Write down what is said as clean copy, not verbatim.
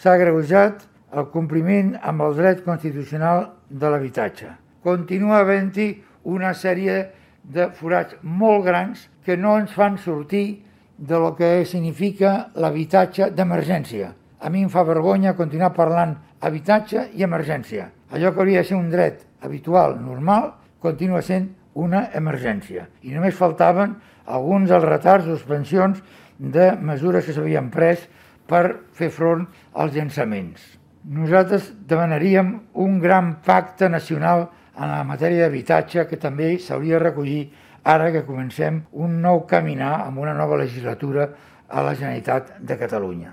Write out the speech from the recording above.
S'ha agreujat el compliment amb el dret constitucional de l'habitatge. Continua havent-hi una sèrie de forats molt grans que no ens fan sortir de lo que significa l'habitatge d'emergència. A mi em fa vergonya continuar parlant habitatge i emergència. Allò que hauria de ser un dret habitual, normal, continua sent una emergència. I només faltaven alguns dels retards o suspensions de mesures que s'havien pres per fer front als llançaments. Nosaltres demanaríem un gran pacte nacional en la matèria d'habitatge que també s'hauria de recollir ara que comencem un nou caminar amb una nova legislatura a la Generalitat de Catalunya.